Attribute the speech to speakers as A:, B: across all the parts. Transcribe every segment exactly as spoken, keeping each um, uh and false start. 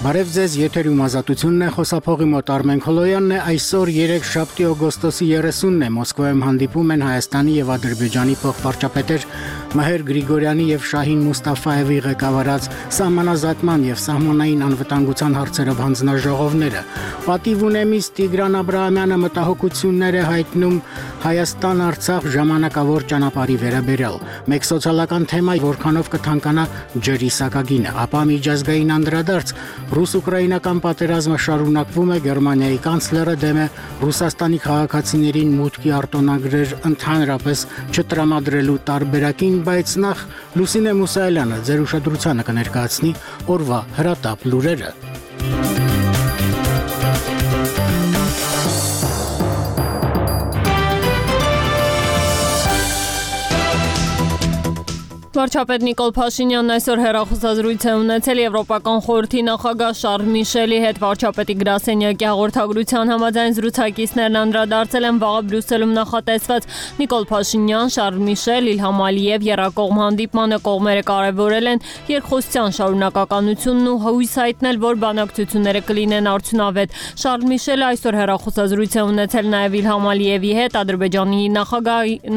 A: Բարև ձեզ, եթերում ազատությունն է, խոսափողի մոտ Արմեն Քոլոյանն է, այսօր երեքշաբթի օգոստոսի երեսունն է, Մոսկվայում հանդիպում են Հայաստանի եւ Ադրբեջանի փոխվարչապետեր Մհեր Գրիգորյանի եւ Շահին Մուստաֆայևի ղեկավարած սահմանազատման եւ սահմանային անվտանգության հարցերով հանձնաժողովները։ Պատիվ ունեմից Տիգրան Աբրահամյանը մտահոգություններ է հայտնում Հայաստան-Արցախ ժամանակավոր ճանապարհի վերաբերյալ։ Մեկ սոցիալական թեմա, որքանով կթանկանա ջրի սակագինը, ապա միջազգային անդրադարձ Ռուս-ուկրաինական պատերազմը շարունակվում է, Գերմանիայի կանցլերը դեմ է Ռուսաստանի քաղաքացիներին մուտքի արտոնագրեր ընդհանրապես չտրամադրելու տարբերակին, բայց նախ Լուսինե Մուսայելյանը ձեր ուշադրությանը կներկայացնի օրվա հրատապ լուրերը։
B: Վարչապետ Նիկոլ Փաշինյանն այսօր հեռախոսազրույց է ունեցել Եվրոպական խորհրդի նախագահ Շարլ Միշելի հետ։ Վարչապետի գրասենյակի հաղորդագրության համաձայն զրուցակիցներն անդրադարձել են վաղը Բրյուսելում նախատեսված Նիկոլ Փաշինյան, Շարլ Միշել, Իլհամ Ալիև երակողմ հանդիպմանը կողմերը կարևորել են երկխոսության շարունակականությունն ու հույս հայտնել, որ բանակցությունները կլինեն արդյունավետ։ Շարլ Միշելը այսօր հեռախոսազրույց է ունեցել նաև Իլհամ Ալիևի հետ, Ադրբեջանի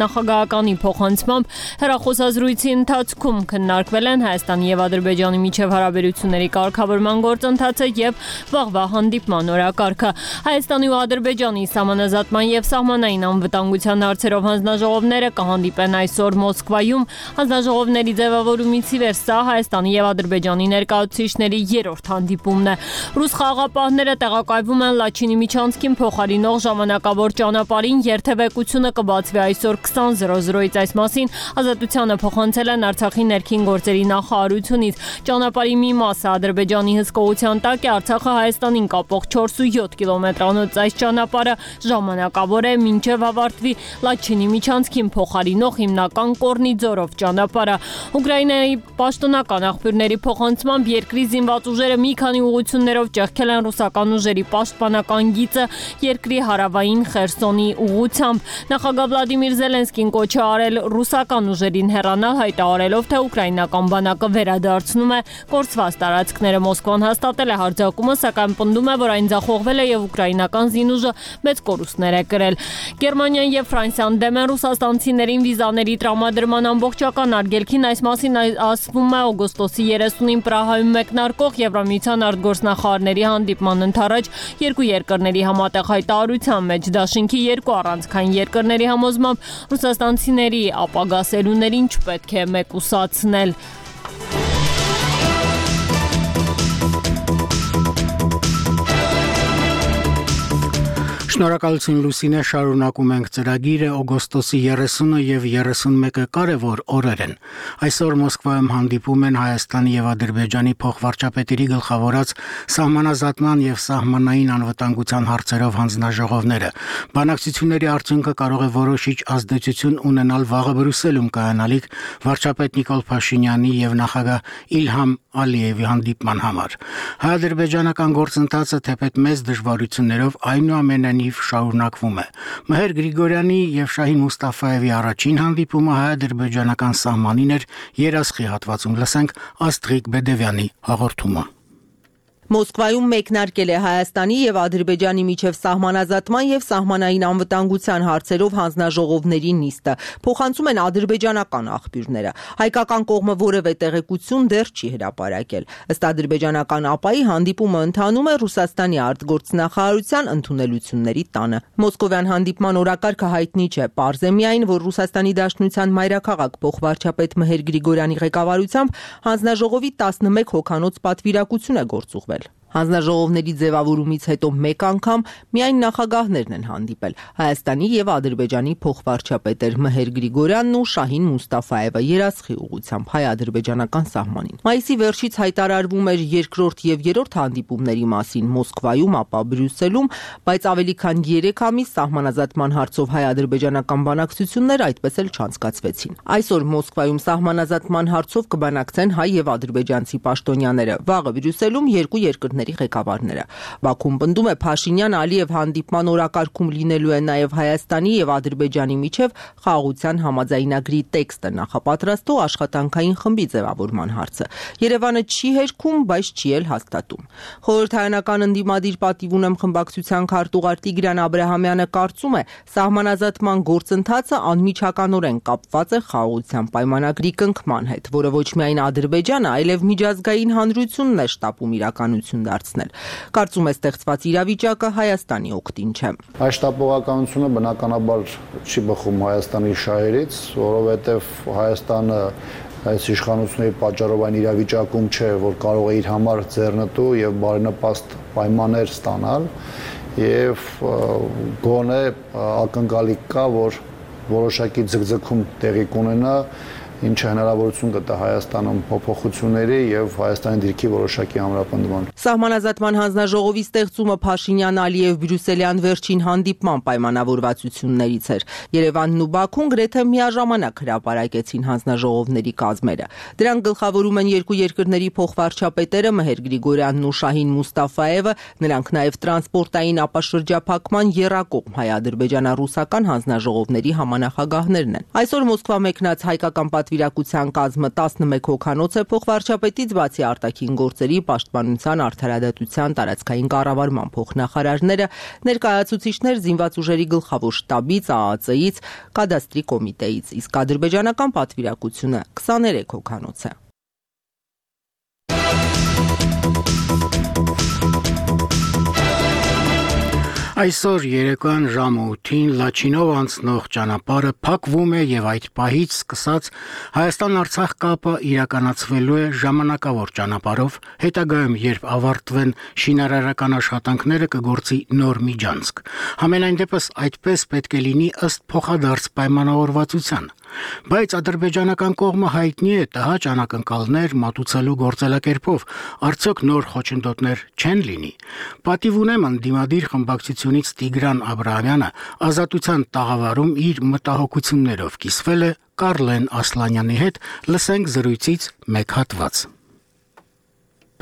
B: նախագահականի փոխանցմամբ հեռախոսազրույցի ընթացքում քննարկվել են Հայաստանի եւ Ադրբեջանի միջև հարաբերությունների կարգավորման գործընթացը եւ վաղվա հանդիպման օրակարգը։ Հայաստանի ու Ադրբեջանի սահմանազատման եւ սահմանային անվտանգության հարցերով հանձնաժողովները կհանդիպեն այսօր Մոսկվայում։ Հանձնաժողովների ձևավորումից ի վեր սա Հայաստանի եւ Ադրբեջանի ներկայացուցիչների երրորդ հանդիպումն է։ Ռուս խաղաղապահները տեղակայվում են Լաչինի միջանցքին փոխարինող ժամանակավոր ճանապարհին, երթևեկությունը կբացվի այսօր քսան զրո զրոից, այս մասին Ազատությանը փոխանցել են Արցախի ներքին գործերի նախարարությունից։ Ճանապարհի մի մասը Ադրբեջանի հսկողության տակ է, Արցախը Հայաստանին կապող չորսունյոթ կիլոմետրանոց այս ճանապարհը ժամանակավոր է մինչև ավարտվի Լաչինի միջանցքին փոխարինող հիմնական Կորնիձորով ճանապարհը։ Ուկրաինայի պաշտոնական աղբյուրների փոխանցմամբ երկրի զինված ուժերը մի քանի ուղղություններով ճեղքել են ռուսական ուժերի պաշտպանական գիծը երկրի հարավային Խերսոնի ուղղությամբ։ Նախագահ Վլադիմիր Զելենսկին կոչ է արել ռուսական ուժերին հեռանալ, հայտարարելով, թե ուկրաինական բանակը վերադարձնում է կորցված տարածքները։ Մոսկվան հաստատել է հարձակումը, սակայն պնդում է, որ այն ձախողվել է եւ ուկրաինական զինուժը մեծ կորուստներ է կրել։ Գերմանիան եւ Ֆրանսիան դեմ են ռուսաստանցիներին վիզաների տրամադրման ամբողջական արգելքին, այս մասին ասվում է օգոստոսի երեսունին Պրահայում մեկնարկող Եվրամիության արտգործնախարարների հանդիպման ընթառաջ երկու երկրների համատեղ հայտարարության մեջ։ Դաշինքի երկու առանցքային երկրների համոզմամբ ռուսաստանցիների ապագա սերունդներին չպետք է մեկուսացնել։
A: Շնորհակալություն Լուսինե, շարունակում ենք ծրագիրը։ Օգոստոսի երեսունը եւ երեսունմեկը կարևոր օրեր են։ Այսօր Մոսկվայում հանդիպում են Հայաստանի եւ Ադրբեջանի փոխվարչապետերի գլխավորած սահմանազատման եւ սահմանային անվտանգության հարցերով հանձնաժողովները։ Բանակցությունների արդյունքը կարող է որոշիչ ազդեցություն ունենալ վաղը Բրյուսելում կայանալիք վարչապետ Նիկոլ Փաշինյանի եւ նախագահ Իլհամ Ալիևի հանդիպման համար։ Հայ-ադրբեջանական գործընթացը թեպետ մեծ դժվարություններով այնուամենայնիվ շարունակվում է։ Մհեր Գրիգորյանի եւ Շահին Մուստաֆայևի առաջին հանդիպումը հայ-ադրբեջանական սահմանին էր Երասխի հատվածում։ Լսենք Աստղիկ Բեդևյանի հաղորդումը։
C: Մոսկվայում մեկնարկել է Հայաստանի եւ Ադրբեջանի միջև սահմանազատման եւ սահմանային անվտանգության հարցերով հանձնաժողովների նիստը։ Փոխանցում են ադրբեջանական աղբյուրները։ Հայկական կողմը որևէ տեղեկություն դեռ չի հրապարակել։ Ըստ ադրբեջանական ԱՊԱ-ի հանդիպումը ընթանում է Ռուսաստանի արտգործնախարարության ընդունելությունների տանը։ Մոսկովյան հանդիպման օրակարգը հայտնի չէ, պարզ է միայն, որ Ռուսաստանի Դաշնության մայրաքաղաք փոխվարչապետ Մհեր Գրիգորյանի ղեկավարությամբ հանձնաժողովի տասնմեկ հոգանոց պատվիրակություն է գործուղվել։ Հանձնաժողովների ձևավորումից հետո մեկ անգամ միայն նախագահներն են հանդիպել։ Հայաստանի եւ Ադրբեջանի փոխվարչապետեր Մհեր Գրիգորյանն ու Շահին Մուստաֆայևը Երասխի ուղղությամբ հայ-ադրբեջանական սահմանին։ Մայիսի վերջից հայտարարվում էր երկրորդ եւ երրորդ հանդիպումների մասին Մոսկվայում, ապա Բրյուսելում, բայց ավելի քան երեք ամիս սահմանազատման հարցով հայ-ադրբեջանական բանակցություններ այդպես էլ չանցկացվեցին։ Այսօր Մոսկվայում սահմանազատման հարցով կբանակցեն հայ եւ ադրբեջանցի պաշտոնյաները։ Վաղը Բրյուսելում երկու երկրների կառույցների ղեկավարները։ Բաքուն պնդում է Փաշինյան Ալիև հանդիպման օրակարգում լինելու է նաև Հայաստանի եւ Ադրբեջանի միջև խաղաղության համաձայնագրի տեքստը նախապատրաստող աշխատանքային խմբի ձևավորման հարցը։ Երևանը չի հերքում, բայց չի էլ հաստատում։ Խորհրդարանական ընդդիմադիր պատիվ ունեմ խմբակցության քարտուղար Տիգրան Աբրահամյանը կարծում է, սահմանազատման գործընթացը անմիջականորեն կապված է խաղաղության պայմանագրի կնքման հետ, որը ոչ միայն Ադրբեջանը, այլև միջազգային հանրությունն է շտապում իրականություն դարձնել։ Կարծում է, ստեղծված իրավիճակը Հայաստանի օգտին չէ։
D: Այս շտապողականությունը բնականաբար չի բխում Հայաստանի շահերից, որովհետև Հայաստանը այս իշխանությունների պատճառով այն իրավիճակում չէ, որ կարող է իր համար ձեռնտու եւ բարենպաստ պայմաններ ստանալ եւ գոնե ակնկալիք կա, որ որոշակի ձգձգում տեղի կունենա, ինչը հնարավորություն կտա Հայաստանում փոփոխությունների եւ Հայաստանի դիրքի որոշակի ամրապնդման։
C: Սահմանազատման հանձնաժողովի ստեղծումը Փաշինյան-Ալիև բրյուսելյան վերջին հանդիպման պայմանավորվածություններից էր։ Երևանն ու Բաքուն գրեթե միաժամանակ հրապարակեցին հանձնաժողովների կազմերը։ Դրանք գլխավորում են երկու երկրների փոխվարչապետերը Մհեր Գրիգորյանն ու Շահին Մուստաֆաևը, նրանք նաեւ տրանսպորտային ապաշրջափակման եռակողմ հայ-ադրբեջանա-ռուսական հանձնաժողովների համանախագահներն են։ Այսօր Մոսկվա մեկնած հայկական պատվիրակության կազմը տասնմեկ հոգանոց է, փոխվարչապետից բացի արտաքին գործերի, պաշտպանության, արդարադատության, տարածքային կառավարման փոխնախարարները, ներկայացուցիչներ զինված ուժերի գլխավոր շտաբից, ԱԱԾ-ից, կադաստրի կոմիտեից, իսկ ադրբեջանական պատվիրակությունը քսաներեք հոգանոց է։
A: Այսօր երեկոյան ժամը ութին Լաչինով անցնող ճանապարհը փակվում է եւ այդ պահից սկսած Հայաստան-Արցախ կապը իրականացվելու է ժամանակավոր ճանապարհով, հետագայում երբ ավարտվեն շինարարական աշխատանքները կգործի նոր միջանցք։ Համենայն դեպս այդպես պետք է լինի ըստ փոխադարձ պայմանավորվածության։ Բայց ադրբեջանական կողմը հայտնի է տհաճ անակնկալներ մատուցելու գործելակերպով, արդյոք նոր խոչընդոտներ չեն լինի։ Պատիվ ունեմ ընդդիմադիր խմբակցությունից Տիգրան Աբրահամյանը Ազատության տաղավարում իր մտահոգություններով կիսվել է Կարլեն Ասլանյանի հետ, լսենք զրույցից մեկ հատված։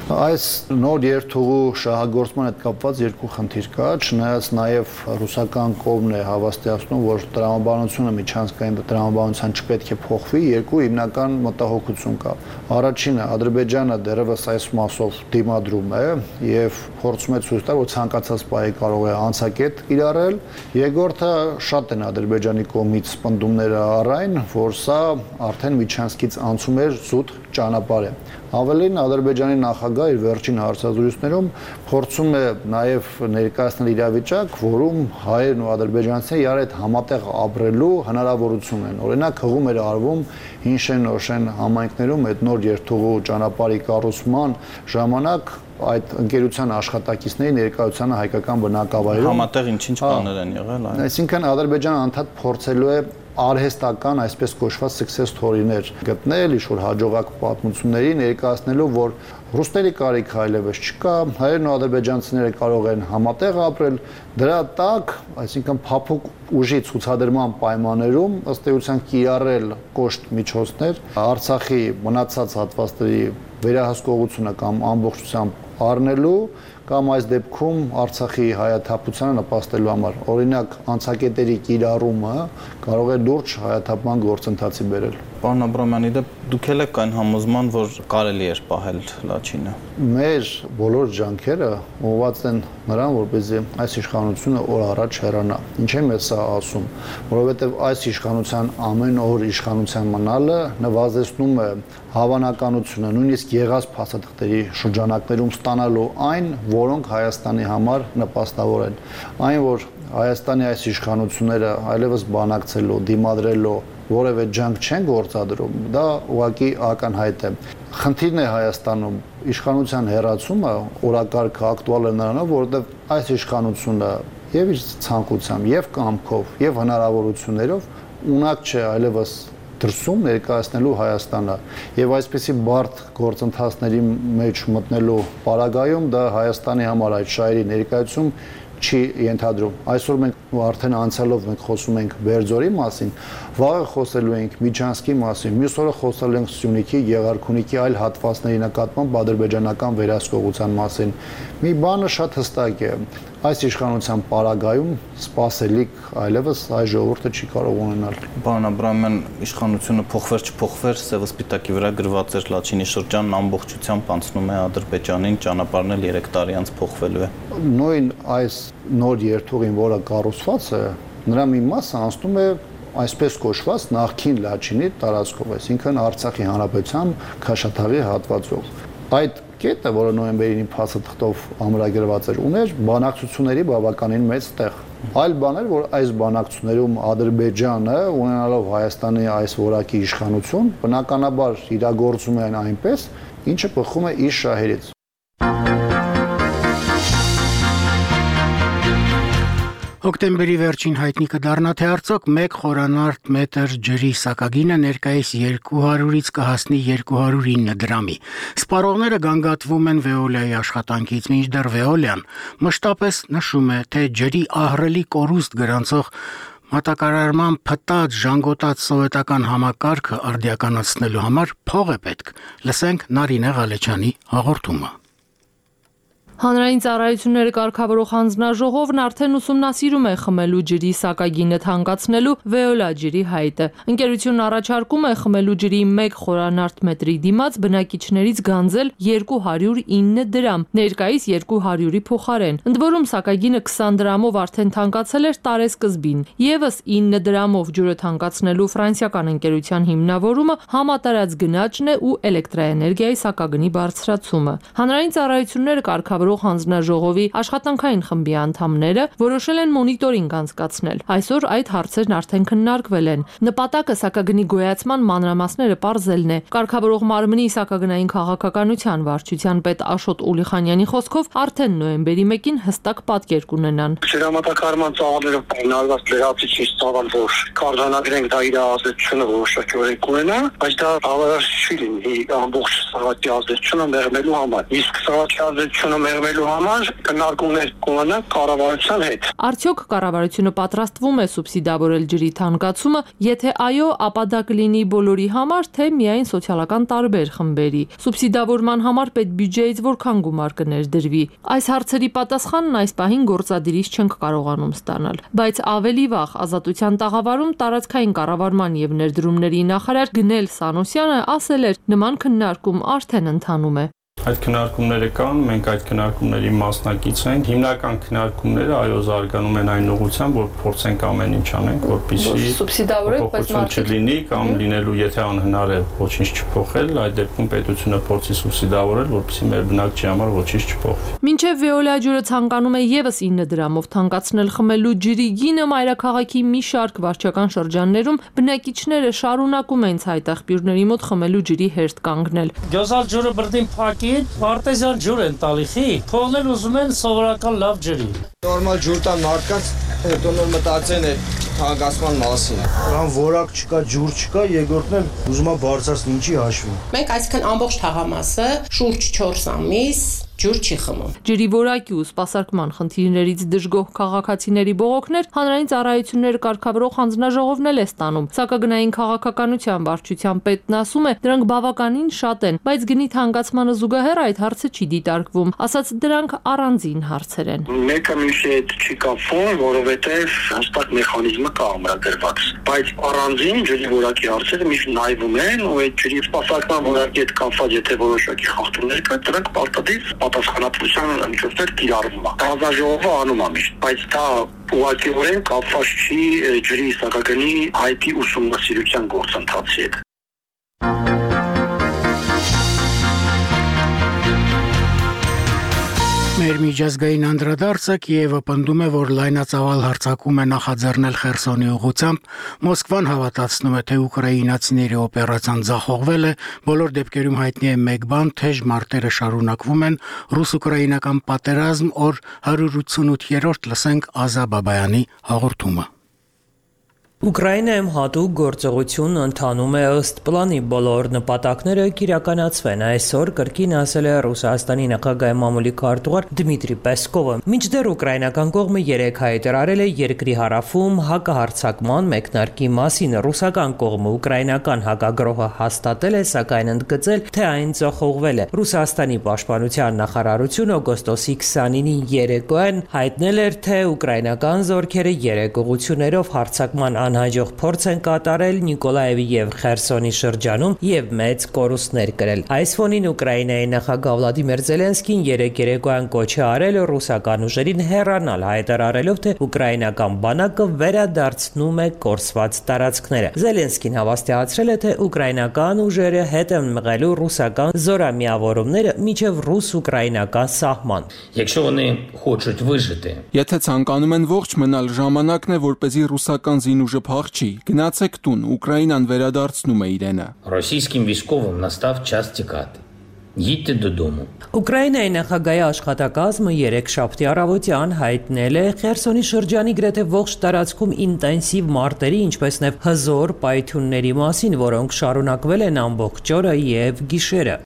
D: Այս նոր երթուղու շահագործման հետ կապված երկու խնդիր կա, չնայած նաև ռուսական կողմն է հավաստիացնում, որ տրամաբանությունը միջանցքային տրամաբանության չպետք է փոխվի, երկու հիմնական մտահոգություն կա։ Առաջինը Ադրբեջանը դեռևս այս մասով դիմադրում է եւ փորձում է ցույց տալ, որ ցանկացած պահի կարող է անցակետ կիրառել։ Երկրորդը շատ են Ադրբեջանի կողմից պնդումները առայն, որ սա արդեն միջանցքից անցում էր զուտ ճանապարհ է։ Ավելին Ադրբեջանի նախագահ իր վերջին հարցազրույցներում փորձում է նաև ներկայացնել իրավիճակ, որում հայերն ու ադրբեջանցիները իրար հետ համատեղ ապրելու հնարավորություն են։ Օրինակ հղում էր արվում Հինշեն-Նորշեն համայնքներում այդ նոր երթուղու ճանապարհի կառուցման ժամանակ այդ ընկերության աշխատակիցների ներկայությանը հայկական բնակավայրում
E: համատեղ ինչ-ինչ բաներ են եղել, այո։
D: Այսինքն Ադրբեջանը անդադ փորձելու է արհեստական այսպես կոչված success story-ներ գտնել, ինչ-որ հաջողակ պատմությունների ներկայացնելու, որ ռուսների կարիք այլևս չկա, հայերն ու ադրբեջանցիները կարող են համատեղ ապրել, դրա տակ, այսինքն փափուկ ուժի ցուցադրման պայմաններում ըստ էության կիրառել կոշտ միջոցներ, Արցախի մնացած հատվածների վերահսկողությունը կամ ամբողջությամբ առնելու կամ այս դեպքում Արցախի հայաթափությանը նպաստելու համար։ Օրինակ, անցակետերի կիրառումը կարող է լուրջ հայաթափման գործընթացի բերել։
E: Պարոն Աբրահամյանի, դուք էլ եք այն համոզման, որ կարելի էր պահել Լաչինը։
D: Մեր բոլոր ջանքերը ուղղված են նրան, որպեսզի այս իշխանությունը օր առաջ հեռանա։ Ինչ եմ ես սա ասում, որովհետև այս իշխանության ամեն օր իշխանության մնալը նվազեցնում է հավանականությունը, նույնիսկ եղած փաստաթղթերի շրջանակներում ստանալու այն, որոնք Հայաստանի համար նպաստավոր են։ Այն, որ Հայաստանի այս իշխանությունները այլևս բանակցելու, դիմադրելու որևէ ջանք չեն գործադրում, դա ուղղակի ակնհայտ է։ Խնդիրն է Հայաստանում իշխանության հեռացումը օրակարգը ակտուալ է նրանով, որովհետև այս իշխանությունը եւ իր ցանկությամբ, եւ կամքով, եւ հնարավորություններով ունակ չէ այլևս դրսում ներկայացնելու Հայաստանը եւ այսպիսի բարդ գործընթացների մեջ մտնելու պարագայում դա Հայաստանի համար այդ շահերի ներկայացում չի ենթադրում։ Այսօր մենք արդեն անցյալով մենք խոսում ենք Բերձորի մասին, վաղը խոսելու ենք Միջանցքի մասին, մյուս օրը խոսելու ենք Սյունիքի, Եղարքունիքի այլ հատվածների նկատմամբ ադրբեջանական վերահսկողության մասին։ Մի բանը շատ հստակ է, այս իշխանության պարագայում սպասելիք այլևս այս ժողովուրդը չի կարող ունենալ։
E: Պարոն Աբրահամյան, իշխանությունը փոխվեր չփոխվեր, սև սպիտակի վրա գրված էր Լաչինի շրջանն ամբողջությամբ անցնում է Ադրբեջանին, ճանապարհն էլ երեք տարի անց փոխվելու է։
D: Նույն այս նոր երթուղին, որը կառուցված է, նրա մի մասը անցնում է այսպես կոչված նախքին Լաչինի տարածքով, այսինքն Արցախի հանրապետության Քաշաթաղի հատվածով։ Այդ կետը, որը նոյեմբերի փաստաթղթով ամրագրված էր, ուներ բանակցությունների բավականին մեծ տեղ։ Այլ բան էր, որ այս բանակցություններում Ադրբեջանը, ունենալով Հայաստանի այս որակի իշխանություն, բնականաբար իրագործում է այն այնպես, ինչը բխում է իր շահերից։
A: Հոկտեմբերի վերջին հայտնի կդառնա, թե արդյոք մեկ խորանարդ մետր ջրի սակագինը ներկայիս երկու հարյուրից կհասնի երկու հարյուր ինը դրամի։ Սպառողները գանգատվում են Veolia-ի աշխատանքից, մինչդեռ Veolia-ն մշտապես նշում է, թե ջրի ահռելի կորուստ գրանցող մատակարարման փտած, ժանգոտած սովետական համակարգը արդիականացնելու համար փող է պետք։ Լսենք Նարինե Ղալեչյանի հաղորդումը։
F: Հանրային ծառայությունները կարգավորող հանձնաժողովն արդեն ուսումնասիրում է խմելու ջրի սակագինը թանկացնելու Veolia ջրի հայտը։ Ընկերությունն առաջարկում է խմելու ջրի մեկ խորանարդ մետրի դիմաց բնակիչներից գանձել երկու հարյուր ինը դրամ, ներկայիս երկու հարյուրի փոխարեն։ Ընդ որում սակագինը քսան դրամով արդեն թանկացել էր տարեսկզբին։ Եվս ինը դրամով ջուրը թանկացնելու ֆրանսիական ընկերության հիմնավորումը համատարած գնաճն է ու էլեկտրաէներգիայի սակագնի բարձրացումը։ Հանրային ծառայությունները կարգավորող հանձնաժողովի աշխատանքային խմբի անդամները որոշել են մոնիտորինգ անցկացնել։ Այսօր այդ հարցերն արդեն քննարկվել են։ Նպատակը սակագնի գոյացման մանրամասները պարզելն է։ Կարգավորող մարմնի սակագնային քաղաքականության վարչության պետ Աշոտ Ուլիխանյանի խոսքով արդեն նոյեմբերի մեկին հստակ պատկեր կունենան։
G: Ջրամատակարարման ծավալներով պայմանավորված լրացուցիչ ծավալ, որ կարձանագրենք, դա իր ազդեցությունը որոշակի կունենա, բայց դա բավարար չի լինի ամբողջ սաղաթի ազդեցությունը մեղմելու համար։ Իսկ սաղաթի ազդեցությունը մեղմելու համար քննարկումներ կունենան կառավարության հետ։
F: Արդյոք կառավարությունը պատրաստվում է սուբսիդավորել ջրի թանկացումը, եթե այո, ապա դա կլինի բոլորի համար, թե միայն սոցիալական տարբեր խմբերի։ Սուբսիդավորման համար պետբյուջեից որքան գումար կներդրվի։ Այս հարցերի պատասխանն այս պահին գործադիրից չենք կարողանում ստանալ։ Բայց ավելի վաղ Ազատության տաղավարում տարածքային կառավարման եւ ներդրումների նախարար Գնել Սանոսյանը ասել էր, նման քննարկում արդեն ընթանում է։
H: Այդ քննարկումները կան, մենք այդ քննարկումների մասնակից ենք։ Հիմնական քննարկումները այո զարգանում են այն ուղղությամբ, որ փորձենք ամեն ինչ անենք, որպեսզի
F: սուբսիդավորենք, բայց
H: չլինի կամ լինելու, եթե անհնար է ոչինչ չփոխել, այդ դեպքում պետությունը փորձի սուբսիդավորել, որպեսզի մեր բնակչի համար ոչինչ չփոխվի։
F: Մինչև Veolia ջուրը ցանկանում է եւս ինը դրամով թանկացնել խմելու ջրի գինը, մայրաքաղաքի մի շարք վարչական շրջաններում բնակիչները շարունակում են ցայտաղբյուրների մոտ խմելու ջրի հերթ կանգնել։
I: Գյոզալ ջուրը բրդին փակի արտեզյան ջուր են տալի, խի, փողն էլ ուզում են սովորական լավ ջրի։
J: Նորմալ ջուր տան մարդկանց, հետո նոր մտածեն է թանկացման մասին։
K: Ան որակ չկա, ջուր չկա, երկրորդն էլ ուզում է բարձրացնել, ինչի հաշվի։
L: Մենք այսքան ամբողջ թաղամասը շուրջ չորս ամիս ջուր չի խմում։
F: Ջրի որակի ու սպասարկման խնդիրներից դժգոհ քաղաքացիների բողոքներ հանրային ծառայությունները կարգավորող հանձնաժողովն էլ է ստանում։ Սակագնային քաղաքականության վարչության պետն ասում է, դրանք բավականին շատ են, բայց գնի թանկացմանը զուգահեռ այդ հարցը չի դիտարկվում, ասաց դրանք առանձին հարցեր են։
G: Մեկը մյուսի հետ չի կապվում, որովհետև հստակ մեխանիզմը կա ամրագրված, բայց առանձին ջրի որակի հարցերը միշտ նայվում են ու այդ ջրի սպասարկման որակի հետ կապված եթե որոշակի խախտումներ կա, դրանք պարտադիր պատասխանատվության միջոցներ կիրառվում է։ Հանձնաժողովը անում է միշտ, բայց դա ուղղակիորեն կապված չի ջրի սակագնի հայտի ուսումնասիրության գործընթացի հետ։
A: Մեր միջազգային անդրադարձը Կիևը պնդում է, որ լայնածավալ հարձակում է նախաձեռնել Խերսոնի ուղղությամբ, Մոսկվան հավատացնում է, թե ուկրաինացիների օպերացիան ձախողվել է, բոլոր դեպքերում հայտնի է մեկ բան, թեժ մարտերը շարունակվում են, ռուս-ուկրաինական պատերազմ, օր հարյուր ութսունութերորդ լսենք Ազա Բաբայանի հաղորդումը։
M: Ուկրաինայում հատուկ գործողություն ընթանում է ըստ պլանի, բոլոր նպատակները կիրականացվեն, այսօր կրկին ասել է Ռուսաստանի նախագահի մամուլի քարտուղար Դմիտրի Պեսկովը։ Մինչդեռ ուկրաինական կողմը երեկ հայտարարել է երկրի հարավում հակահարձակման մեկնարկի մասին։ Ռուսական կողմը ուկրաինական հակագրոհը հաստատել է, սակայն ընդգծել, թե այն ձախողվել է։ Ռուսաստանի պաշտպանության նախարարությունը օգոստոսի քսանինին երեկոյան հայտնել էր, թե ուկրաինական զորքերը երեք ուղղություններով հարձակման անհաջող փորձ են կատարել Նիկոլաևի եւ Խերսոնի շրջանում եւ մեծ կորուստներ կրել։ Այս ֆոնին Ուկրաինայի նախագահ Վլադիմիր Զելենսկին երեկ երեկոյան կոչ է արել ռուսական ուժերին հեռանալ, հայտարարելով, թե ուկրաինական բանակը վերադարձնում է կորսված տարածքները։ Զելենսկին հավաստիացրել է, թե ուկրաինական ուժերը հետ են մղելու ռուսական զորամիավորումները մինչև ռուս-ուկրաինական սահման։
N: Եթե ցանկանում են ողջ մնալ, ժամանակն է, որպեսզի ռուսական զինուժը փախչի, գնացեք տուն, Ուկրաինան վերադարձնում է իրենը։
O: Ռոսійським військовим настав час тікати. Їдьте додому։
M: Ուկրաինայի նախագահի աշխատակազմը երեքշաբթի առավոտյան հայտնել է Խերսոնի շրջանի գրեթե ողջ տարածքում ինտենսիվ մարտերի, ինչպես նաև հզոր պայթյունների մասին, որոնք շարունակվել են ամբողջ օրը եւ գիշերը։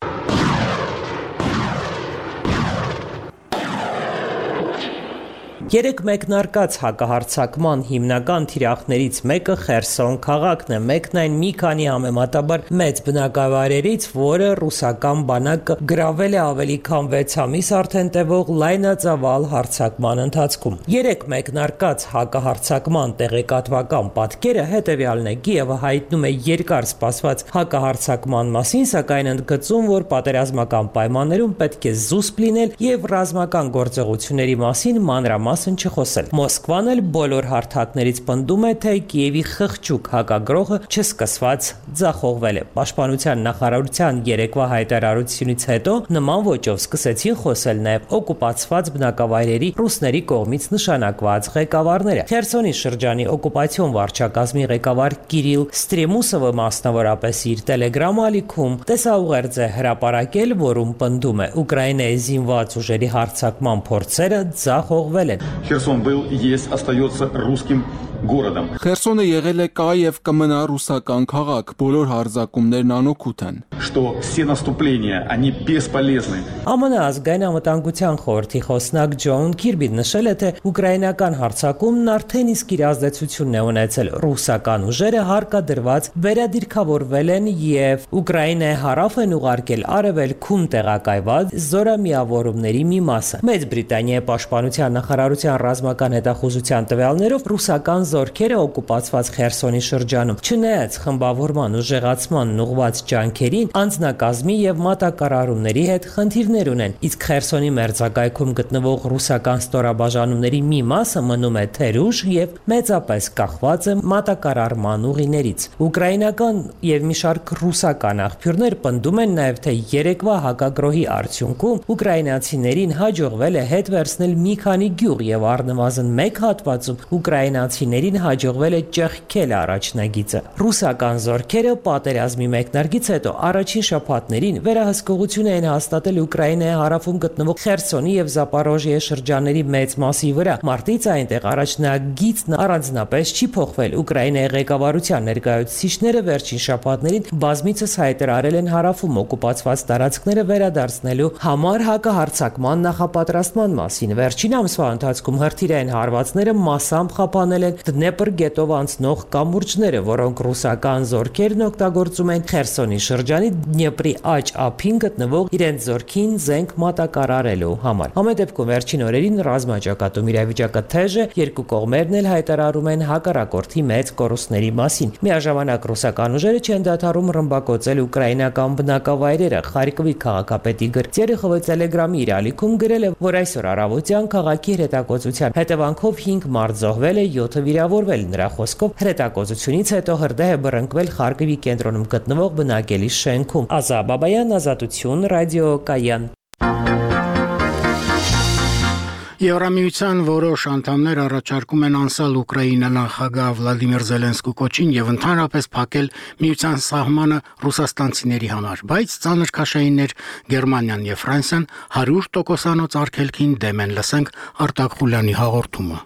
M: Երեք մեկնարկած հակահարձակման հիմնական թիրախներից մեկը Խերսոն քաղաքն է, մեկն այն մի քանի համեմատաբար մեծ բնակավայրերից, որը ռուսական բանակը գրավել է ավելի քան վեց ամիս արդեն տևող լայնածավալ հարձակման ընթացքում։ Երեք մեկնարկած հակահարձակման տեղեկատվական պատկերը հետևյալն է։ Կիևը հայտնում է երկար սպասված հակահարձակման մասին, սակայն ընդգծում, որ պատերազմական պայմաններում պետք է զուսպ լինել եւ ռազմական գործողությունների մասին մանրամասն չխոսել։ Մոսկվան էլ բոլոր հարթակներից պնդում է, թե Կիևի խղճուկ հակագրոհը չսկսված ձախողվել է։ Պաշտպանության նախարարության երեկվա հայտարարությունից հետո նման ոճով սկսեցին խոսել նաև օկուպացված բնակավայրերի ռուսների կողմից նշանակված ղեկավարները։ Խերսոնի շրջանի օկուպացիոն վարչակազմի ղեկավար Կիրիլ Ստրեմուսովը մասնավորապես իր Telegram ալիքում տեսաուղերձ է հրապարակել, որում պնդում է Ուկրաինայի զինված ուժերի հարձակման փորձերը ձախողվել են։
P: Херсон был и есть остается русским городом։
N: Խերսոնը եղել է կա եւ կմնա ռուսական քաղաք, բոլոր հարձակումներն անօգուտ են։
P: Что все наступления они бесполезны։
M: ԱՄՆ ազգային անվտանգության խորհրդի խոսնակ Ջոն Քիրբին նշել է, թե ուկրաինական հարձակումն արդեն իսկ իր ազդեցությունն է ունեցել։ Ռուսական ուժերը հարկադրված վերադիրքավորվել են եւ Ուկրաինայի հարավ են ուղարկել արևելքում տեղակայված զորամիավորումների մի մասը։ Մեծ Բրիտանիայի պաշտպանության նախարարության ռազմական հետախուզության տվյալներով ռուսական զորքերը օկուպացված Խերսոնի շրջանում, չնայած խմբավորման ուժեղացման ուղղված ջանքերին, անձնակազմի եւ մատակարարումների հետ խնդիրներ ունեն, իսկ Խերսոնի մերձակայքում գտնվող ռուսական ստորաբաժանումների մի մասը մնում է թերուժ եւ մեծապես կախված է մատակարարման ուղիներից։ Ուկրաինական եւ մի շարք ռուսական աղբյուրներ պնդում են նաեւ, թե երեկվա հակագրոհի արդյունքում ուկրաինացիներին հաջողվել է հետ վերցնել մի քանի գյուղ եւ առնվազն մեկ հատվածում ուկրաինացիներին հաջողվել է ճեղքել առաջնագիծը։ Ռուսական զորքերը պատերազմի մեկնարկից հետո առաջին շաբաթներին վերահսկողություն էին հաստատել Ուկրաինայի հարավում գտնվող Խերսոնի եւ Զապորոժիե շրջանների մեծ մասի վրա։ Մարտից այնտեղ առաջնագիծն առանձնապես չի փոխվել։ Ուկրաինայի ղեկավարության ներկայացուցիչները վերջին շաբաթներին բազմիցս հայտարարել են հարավում օկուպացված տարածքները վերադարձնելու համար հակահարձակման նախապատրաստման մասին։ Վերջին ամսվա ընթացքում հրթիռային հարվածները մասամբ խափանել են Դնեպր գետով անցնող կամուրջները, որոնք ռուսական զորքերն օգտագործում են Խերսոնի շրջանի Դնեպրի աջ ափին գտնվող իրենց զորքին զենք մատակարարելու համար։ Համենայնիվ վերջին օրերին ռազմաճակատում իրավիճակը թեժ է, երկու կողմերն էլ հայտարարում են հակառակորդի մեծ կորուստների մասին։ Միաժամանակ ռուսական ուժերը չեն դադարում ռմբակոծել ուկրաինական բնակավայրերը։ Խարկովի քաղաքապետի Գրծերը Telegram-ի իր ալիքում գրել է, որ այսօր առավոտյան քաղաքի հրետակոծության հետևանքով հինգ մարդ զոհվել է, յոթը վիրավորվել։ Նրա խոսքով հրետակոծությունից հետո հրդեհ է բռնկվել Խարկովի կենտրոնում գտնվող բնակելի շենքում։ Ազա Բաբայան, Ազատություն, Ռադիո Կայան։
A: Եվրամիության որոշ անդամներ առաջարկում են անցալ Ուկրաինա նախագահ Վլադիմիր Զելենսկու կոչին եւ ընդհանրապես փակել միության սահմանը ռուսաստանցիների համար, բայց ծանր քաշայիններ Գերմանիան եւ Ֆրանսիան հարյուր տոկոսանոց արգելքին դեմ են։ Լսենք Արտակ Խուլյանի հաղորդումը։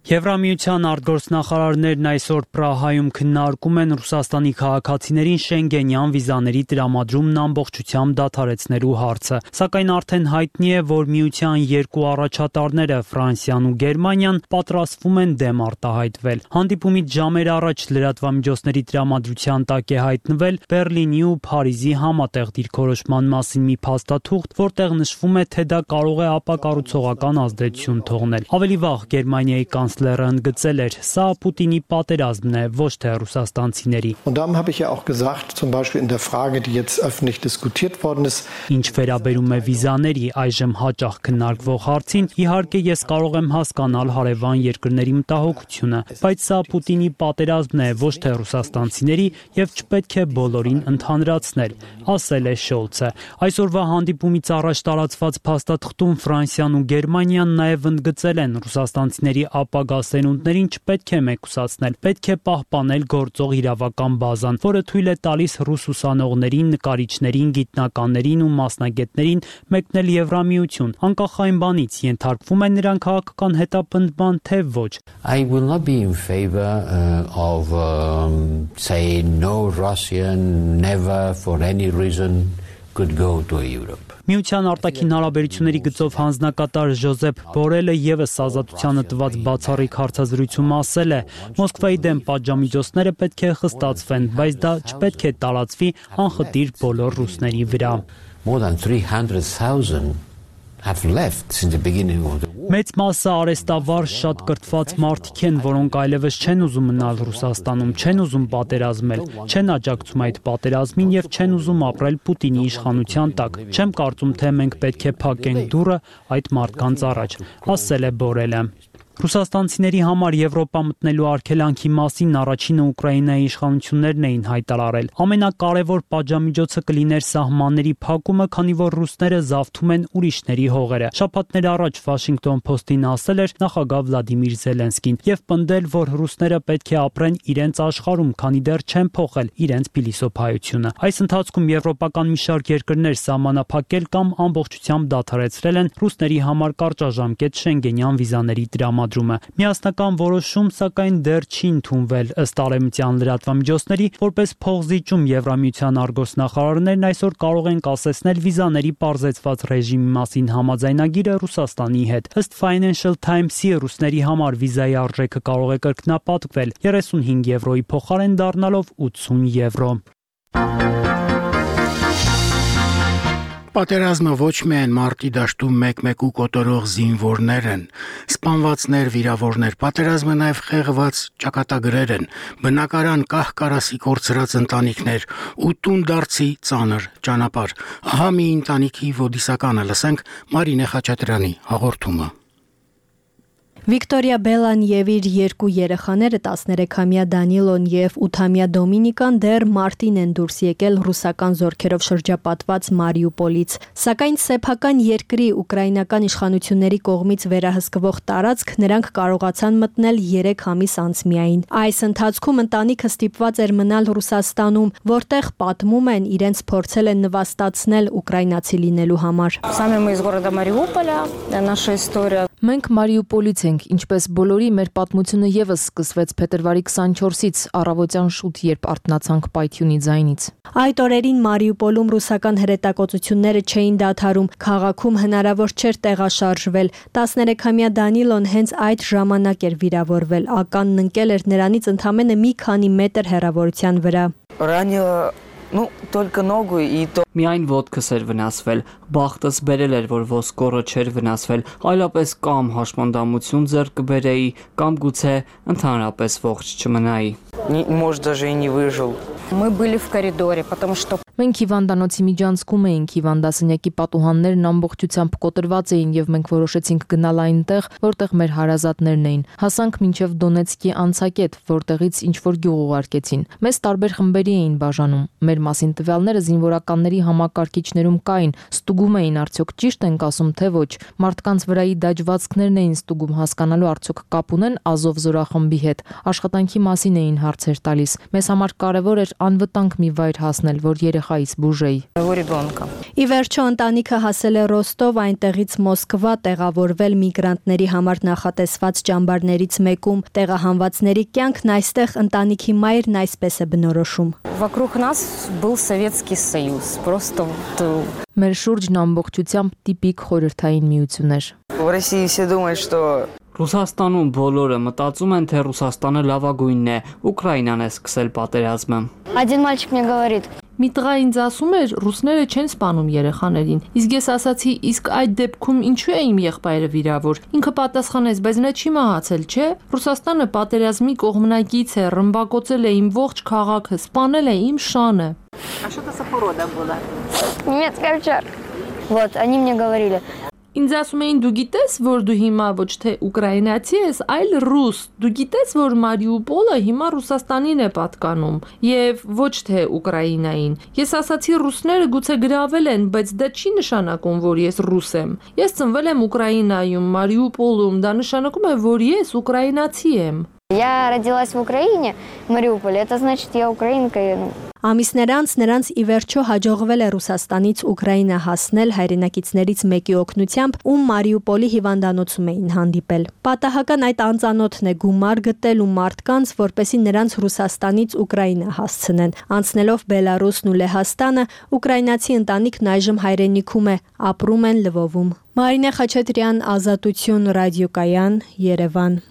Q: Եվրամիության արտգործնախարարներն այսօր Պրահայում քննարկում են Ռուսաստանի քաղաքացիներին շենգենյան վիզաների տրամադրումն ամբողջությամբ դադարեցնելու հարցը, սակայն արդեն հայտնի է, որ միության երկու առաջատարները Ֆրանսիան ու Գերմանիան պատրաստվում են դեմ արտահայտվել։ Հանդիպումից ժամեր առաջ լրատվամիջոցների տրամադրության տակ է հայտնվել Բեռլինի ու Փարիզի համատեղ դիրքորոշման մասին մի փաստաթուղթ, որտեղ նշվում է, թե դա կարող է ապակառուցողական ազդեցություն թողնել։ Ավելի վաղ Գերմանիայի կանցլերը ընդգծել էր, սա Պուտինի պատերազմն է, ոչ թե ռուսաստանցիների։
R: Und darum habe ich ja auch gesagt, zum Beispiel in der Frage, die jetzt öffentlich diskutiert worden ist.
Q: Ինչ վերաբերում է վիզաների այժմ հաճախ քննարկվող հարցին, իհարկե ես կարող եմ հասկանալ հարևան երկրների մտահոգությունը, բայց սա Պուտինի պատերազմն է, ոչ թե ռուսաստանցիների եւ չպետք է բոլորին ընդհանրացնել, ասել է Շոլցը։ Այսօրվա հանդիպումից առաջ տարածված փաստաթղթում Ֆրանսիան ու Գերմանիան նաեւ ընդգծել են ռուսաստանցիների ապագա սերունդներին չպետք է մեկուսացնել, պետք է պահպանել գործող իրավական բազան, որը թույլ է տալիս ռուս ուսանողներին, նկարիչներին, գիտնականներին ու մասնագետներին մեկնել Եվրամիություն, անկախ այն բանից ենթարկվում են նրանք քաղաքական հետապնդման, թե ոչ։
S: I will not be in favor uh, of um, saying no Russian never for any reason could go to Europe.
Q: Միության արտաքին հարաբերությունների գծով հանձնակատար Ժոզեփ Բորելը եւս ազատությանը տված բացառիկ հարցազրույցում ասել է. Մոսկվայի դեմ պատժամիջոցները պետք է խստացվեն, բայց դա չպետք է տարածվի անխտիր բոլոր ռուսների վրա։
S: More than three hundred thousand have left since the beginning of the war.
Q: Մեծ մասը արեստավար շատ կրթված մարդիկ են, որոնք այլևս չեն ուզում մնալ Ռուսաստանում, չեն ուզում պատերազմել, չեն աջակցում այդ պատերազմին եւ չեն ուզում ապրել Պուտինի իշխանության տակ։ Չեմ կարծում, թե մենք պետք է փակենք դուռը այդ մարդկանց առաջ, ասել է Բորելը։ Ռուսաստանցիների համար Եվրոպա մտնելու արգելանքի մասին առաջինը Ուկրաինայի իշխանություններն էին հայտարարել։ Ամենակարևոր պատժամիջոցը կլիներ սահմանների փակումը, քանի որ ռուսները զավթում են ուրիշների հողերը։ Շաբաթներ առաջ Washington Post-ին ասել էր նախագահ Վլադիմիր Զելենսկին եւ պնդել, որ ռուսները պետք է ապրեն իրենց աշխարհում, քանի դեռ չեն փոխել իրենց փիլիսոփայությունը։ Այս ընթացքում եվրոպական մի շարք երկրներ սահմանափակել կամ ամբողջությամբ դադարեցրել են ռուսների համար կարճաժամկետ շենգենյան վիզաների տրամադրումը։ Միասնական որոշում, սակայն դեռ չի ընդունվել ըստ արևմտյան լրատվամիջոցների, որպես փոխզիջում Եվրամիության արտգործնախարարներն այսօր կարող են կասեցնել վիզաների պարզեցված ռեժիմի մասին համաձայնագիրը Ռուսաստանի հետ։ Ըստ Financial Times-ի ռուսների համար վիզայի արժեքը կարող է կրկնապատկվել երեսունհինգ եվրոյի փոխարեն դառնալով ութսուն եվրո։
A: Պատերազմը ոչ միայն մարտի դաշտում մեկ-մեկ ու կոտորող զինվորներ են, սպանվածներ, վիրավորներ, պատերազմը նաև խեղված ճակատագրեր են, բնակարան կահ-կարասի կորցրած ընտանիքներ ու տուն դարձի ծանր ճանապարհ։ Ահա մի ընտանիքի ոդիսականը լսենք Մարինե Խաչատրյանի հաղորդումը։
T: Վիկտորիա Բելան եւ իր երկու երեխաները տասներեքամյա Դանիլոն եւ ութամյա Դոմինիկան դեռ մարտին են դուրս եկել ռուսական զորքերով շրջապատված Մարիուպոլից, սակայն սեփական երկրի ուկրաինական իշխանությունների կողմից վերահսկվող տարածք նրանք կարողացան մտնել երեք ամիս անց միայն։ Այս ընթացքում ընտանիքը ստիպված էր մնալ Ռուսաստանում, որտեղ պատմում են իրենց փորձել են նվաստացնել ուկրաինացի լինելու համար։
F: Մենք Մարիուպոլից ենք, ինչպես բոլորի մեր պատմությունը եւս սկսվեց փետրվարի քսանչորսից առավոտյան շուտ, երբ արթնացանք պայթյունի ձայնից։
T: Այդ օրերին Մարիուպոլում ռուսական հրետակոծությունները չէին դադարում, քաղաքում հնարավոր չէր տեղաշարժվել։ տասներեքամյա Դանիլոն հենց այդ ժամանակ էր վիրավորվել, ականն ընկել էր նրանից ընդամենը մի քանի մետր հեռավորության վրա։
U: Ну, только ногу и то.
V: Միայն ոտքս էր վնասվել, բախտս բերել էր, որ ոսկորը չէր վնասվել, այլապես կամ հաշմանդամություն ձեռք կբերեի, կամ գուցե ընդհանրապես ողջ չմնայի։
U: Может, даже и не выжил.
W: Мы были в коридоре, потому что
F: Մենք հիվանդանոցի միջանցքում էինք, հիվանդասենյակի պատուհաններն ամբողջությամբ կոտրված էին եւ մենք որոշեցինք գնալ այնտեղ, որտեղ մեր հարազատներն էին։ Հասանք մինչեւ Դոնեցկի անցակետ, որտեղից ինչ որ գյուղ ուղարկեցին։ Մեզ տարբեր խմբերի էին բաժանում։ Մեր մասին տվյալները զինվորականների համակարգիչներում կային, ստուգում էին արդյոք ճիշտ ենք ասում թե ոչ։ Մարդկանց վրայի դաջվածքներն էին ստուգում հասկանալու արդյոք կապ ունեն Ազով զորախմբի հետ։ Աշխատանքի մասին էին հարցեր տալիս։ Մեզ համար կարևոր էր անվտանգ մի վայր հասնել, որ երեխայից բուժեի։
T: Ի վերջո ընտանիքը հասել է Ռոստով, այնտեղից Մոսկվա, տեղավորվել միգրանտների համար նախատեսված ճամբարներից մեկում։ Տեղահանվածների կյանքն այստեղ ընտանիքի մայրն այսպես է բնորոշում։
W: Вокруг нас был Советский Союз. Просто
F: Մեր շուրջն ամբողջությամբ տիպիկ խորհրդային միություն էր։
U: В России все думают, что
V: Ռուսաստանում բոլորը մտածում են, թե Ռուսաստանը լավագույնն է, Ուկրաինան է սկսել պատերազմը։
W: Один мальчик мне говорит:
F: Մի տղա ինձ ասում էր, ռուսները չեն սպանում երեխաներին։ Իսկ ես ասացի, իսկ այդ դեպքում ինչու է իմ եղբայրը վիրավոր։ Ինքը պատասխանեց, բայց նա չի մահացել, չէ՞։ Ռուսաստանը պատերազմի կողմնակից է, ռմբակոծել է իմ ողջ քաղաքը, սպանել է իմ շանը։
W: А что это за порода была? Немецкая овчарка. Вот, они мне говорили:
F: Ինձ ասում էին, դու գիտես, որ դու հիմա ոչ թե ուկրաինացի ես, այլ ռուս։ Դու գիտես, որ Մարիուպոլը հիմա Ռուսաստանին է պատկանում եւ ոչ թե Ուկրաինային։ Ես ասացի, ռուսները գուցե գրավել են, բայց դա չի նշանակում, որ ես ռուս եմ։ Ես ծնվել եմ Ուկրաինայում, Մարիուպոլում, դա նշանակում է, որ ես ուկրաինացի եմ։
W: Я родилась в Украине, в Мариуполе. Это значит, я украинка.
T: Ամիսներ անց նրանց ի վերջո հաջողվել է Ռուսաստանից Ուկրաինա հասնել հայրենակիցներից մեկի օգնությամբ, ում Մարիուպոլի հիվանդանոցում էին հանդիպել։ Պատահական այդ անծանոթն է գումար գտել ու մարդկանց, որպեսզի նրանց Ռուսաստանից Ուկրաինա հասցնեն։ Անցնելով Բելարուսն ու Լեհաստանը, ուկրաինացի ընտանիքն այժմ հայրենիքում է, ապրում են Լվովում։ Մարինե Խաչատրյան, Ազատություն ռադիոկայան, Երևան։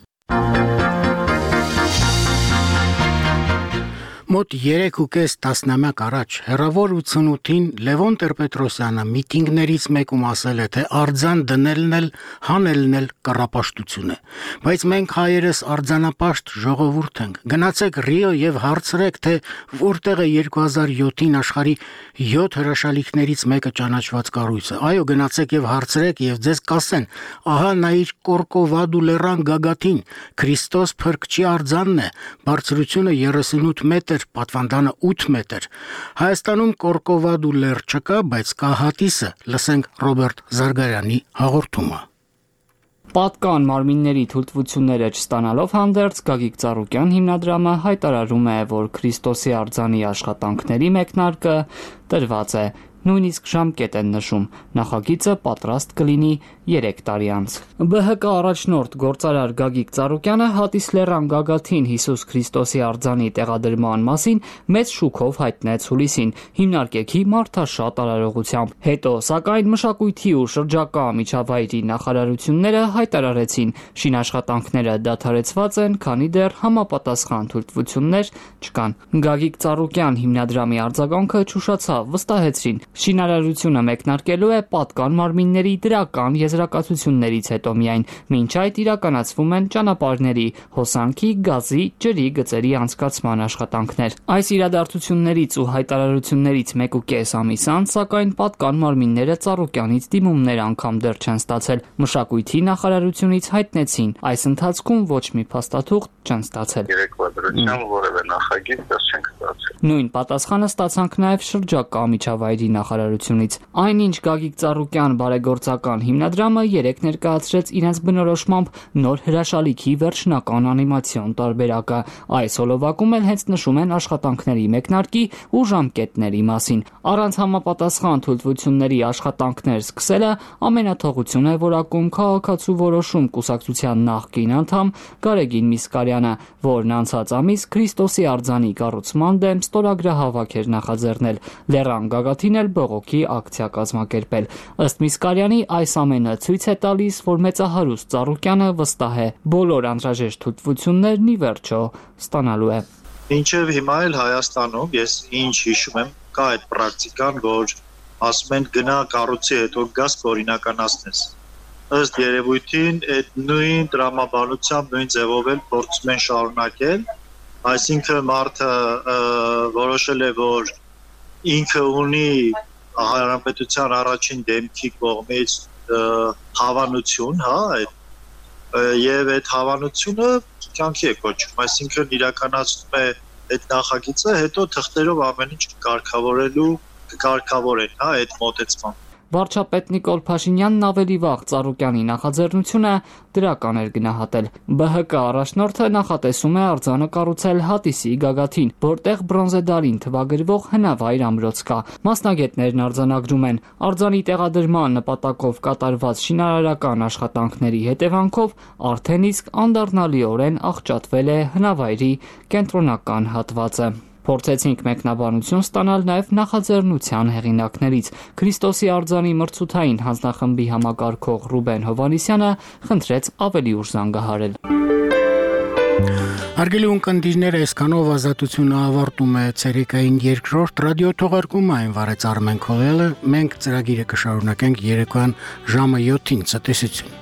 A: Մոտ երեք ու կես տասնամյակ առաջ հեռավոր ութսունութին Լևոն Տեր-Պետրոսյանը միտինգներից մեկում ասել է, թե արձան դնելն էլ հանելն էլ կռապաշտություն է, բայց մենք հայերս արձանապաշտ ժողովուրդ ենք։ Գնացեք Ռիո եւ հարցրեք, թե որտեղ է երկու հազար յոթին աշխարհի յոթ հրաշալիքներից մեկը ճանաչված կառույցը։ Այո, գնացեք եւ հարցրեք եւ ձեզ կասեն, ահա նայիր Կորկովադու լեռան գագաթին, Քրիստոս Փրկչի արձանն է, բարձրությունը երեսունութ մետր, պատվանդանը ութ մետր։ Հայաստանում Կորկովադու լեռ չկա, բայց կա հատիսը։ Լսենք Ռոբերտ Զարգարյանի հաղորդումը։
V: Պատկան մարմինների թույլտվությունները չստանալով հանդերձ Գագիկ Ծառուկյան հիմնադրամը հայտարարում է, որ Քրիստոսի արձանի աշխատանքների մեկնարկը տրված է, նույնիսկ ժամկետ են նշում, նախագիծը պատրաստ կլինի երեք տարի անց։ Բ Հ Կ առաջնորդ գործարար Գագիկ Ծառուկյանը հատիս լեռան գագաթին Հիսուս Քրիստոսի արձանի տեղադրման մասին մեծ շուքով հայտնեց հուլիսին, հիմնարկեքի մարդաշատ արարողությամբ։ Հետո, սակայն մշակույթի ու շրջակա միջավայրի նախարարությունները հայտարարեցին, շինաշխատանքները դադարեցված են, քանի դեռ համապատասխան թույլտվություններ չկան։ Գագիկ Ծառուկյան հիմնադրամի արձագանքը չուշացավ, վստահեցրին, շինարարությունը մեկնարկելու է պատկան մարմինների դրական եզրակացություններից հետո միայն, մինչ այդ իրականացվում են ճանապարհների, հոսանքի, գազի, ջրի գծերի անցկացման աշխատանքներ։ Այս իրադարձություններից ու հայտարարություններից մեկ ու կես ամիս անց, սակայն պատկան մարմինները Ծառուկյանից դիմումներ անգամ դեռ չեն ստացել։ Մշակույթի նախարարությունից հայտնեցին, այս ընթացքում ոչ մի փաստաթուղթ չեն ստացել։
B: Երեկվա դրությամբ որևէ նախագիծ դեռ չենք ստացել։
V: Նույն պատասխանը ստացանք նաև շրջակա միջավայրի նախարարությունից։ Այնինչ Գագիկ Ծառուկյան բարեգործական հիմնադրամը երեք ներկայացրեց իրենց բնորոշմամբ նոր հրաշալիքի վերջնական անիմացիոն տարբերակը։ Այս հոլովակում էլ հենց նշում են աշխատանքների մեկնարկի ու ժամկետների մասին։ Առանց համապատասխան թույլտվությունների աշխատանքներ սկսելը ամենաթողություն է որակում քաղաքացու որոշում կուսակցության նախկին անդամ Գարեգին Միսկարյանը, որն անցած ամիս Քրիստոսի արձանի կառուցման դեմ ստորագրահավաք էր նախաձեռնել, լեռան գագաթին էլ բողոքի ակցիա կազմակերպել։ Ըստ Միսկարյանի, այս ամենը ցույց է տալիս, որ մեծահարուստ Ծառուկյանը վստահ է, բոլոր անհրաժեշտ թույլտվություններն ի վերջո ստանալու է։
K: Մինչև հիմա էլ Հայաստանում ես ինչ հիշում եմ, կա այդ պրակտիկան, որ ասում են գնա կառույցի հետո գաս օրինականացնես։ Ըստ երևույթին այդ նույն տրամաբանությամբ, նույն ձևով էլ փորձում են շարունակել, այսինքն մարդը որոշել է, որ ինքը ունի հանրապետության առաջին դեմքի կողմից հավանություն, հա, եւ այդ հավանությունը կյանքի է կոչվում, այսինքն իրականացնում է այդ նախագիծը, հետո թղթերով ամեն ինչ կարգավորելու կարգավորեն, հա, այդ մոտեցման։
V: Վարչապետ Նիկոլ Փաշինյանն ավելի վաղ Ծառուկյանի նախաձեռնությունը դրական էր գնահատել։ Բ Հ Կ առաջնորդը նախատեսում է արձանը կառուցել Հատիսի գագաթին, որտեղ բրոնզե դարին թվագրվող հնավայր ամրոց կա։ Մասնագետներն արձանագրում են, արձանի տեղադրման նպատակով կատարված շինարարական աշխատանքների հետևանքով արդեն իսկ անդառնալիորեն աղճատվել է հնավայրի կենտրոնական հատվածը։ Փորձեցինք մեկնաբանություն ստանալ նաև նախաձեռնության հեղինակներից։ Քրիստոսի արձանի մրցութային հանձնախմբի համակարգող Ռուբեն Հովանեսյանը խնդրեց ավելի ուշ զանգահարել։
A: Հարգելի ունկնդիրներ, այսքանով ազատությունը ավարտում է ցերեկային երկրորդ ռադիո թողարկումը, այն վարեց Արմեն Քոլելը։ Մենք ծրագիրը կշարունակենք երեկոյան ժամը յոթին։ Ցտեսություն։